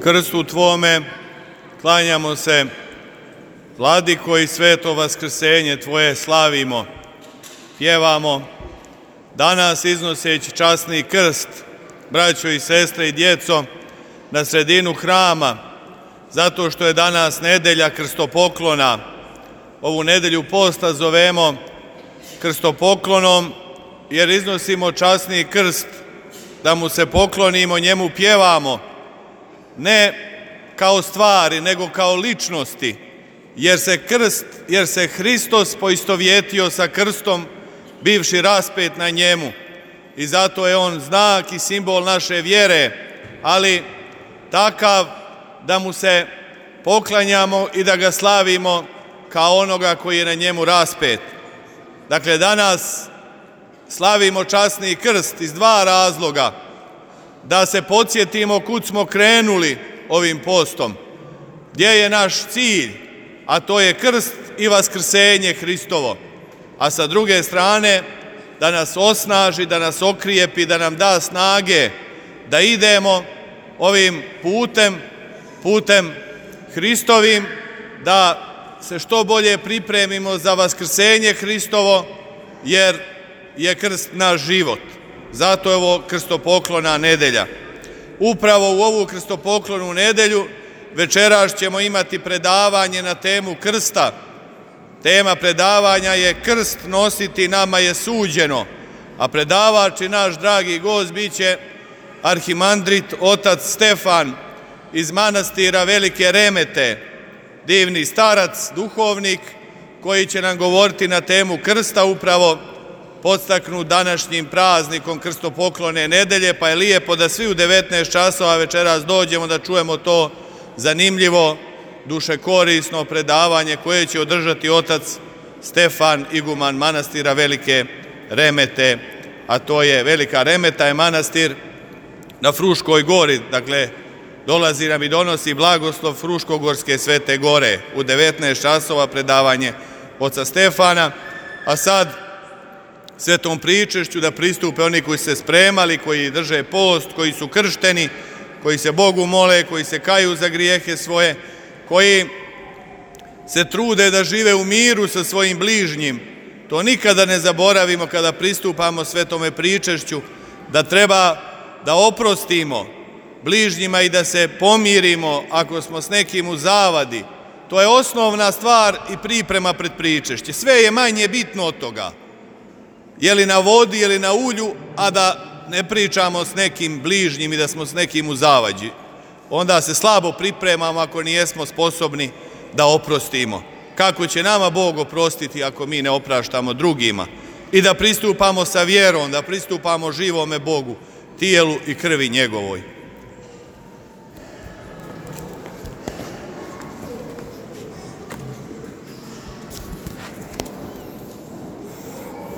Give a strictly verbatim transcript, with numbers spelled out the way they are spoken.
krstu Tvome, klanjamo se, Vladiko, i sveto vaskrsenje Tvoje slavimo, pjevamo, danas iznoseći časni krst, braćo i sestre i djeco, na sredinu hrama, zato što je danas nedelja krstopoklona. Ovu nedelju posta zovemo krstopoklonom, jer iznosimo časni krst, da mu se poklonimo, njemu pjevamo, ne kao stvari, nego kao ličnosti, jer se krst, jer se Hristos poistovjetio sa krstom, bivši raspet na njemu, i zato je on znak i simbol naše vjere, ali takav da mu se poklanjamo i da ga slavimo kao onoga koji je na njemu raspet. Dakle, danas slavimo časni krst iz dva razloga: da se podsjetimo kud smo krenuli ovim postom, gdje je naš cilj, a to je krst i vaskrsenje Hristovo, a sa druge strane da nas osnaži, da nas okrijepi, da nam da snage da idemo ovim putem, putem Hristovim, da se što bolje pripremimo za vaskrsenje Hristovo, jer je krst naš život. Zato je ovo krstopoklona nedelja. Upravo u ovu krstopoklonu nedelju večeras ćemo imati predavanje na temu krsta. Tema predavanja je krst nositi nama je suđeno, a predavač i naš dragi gost bit će arhimandrit otac Stefan iz manastira Velike Remete, divni starac, duhovnik, koji će nam govoriti na temu krsta, upravo podstaknut današnjim praznikom krstopoklone nedelje, pa je lijepo da svi u devetnaest časova večeras dođemo da čujemo to zanimljivo, dušekorisno predavanje koje će održati otac Stefan, iguman manastira Velike Remete, a to je Velika Remeta je manastir na Fruškoj gori, dakle dolazi nam i donosi blagoslov Fruškogorske Svete Gore. U devetnaest časova predavanje oca Stefana, a sad svetom pričešću da pristupe oni koji se spremali, koji drže post, koji su kršteni, koji se Bogu mole, koji se kaju za grijehe svoje, koji se trude da žive u miru sa svojim bližnjim. To nikada ne zaboravimo kada pristupamo svetome pričešću, da treba da oprostimo bližnjima i da se pomirimo ako smo s nekim u zavadi. To je osnovna stvar i priprema pred pričešće. Sve je manje bitno od toga. Je li na vodi, je li na ulju, a da ne pričamo s nekim bližnjim i da smo s nekim u zavađi. Onda se slabo pripremamo ako nijesmo sposobni da oprostimo. Kako će nama Bog oprostiti ako mi ne opraštamo drugima? I da pristupamo sa vjerom, da pristupamo živome Bogu, tijelu i krvi njegovoj.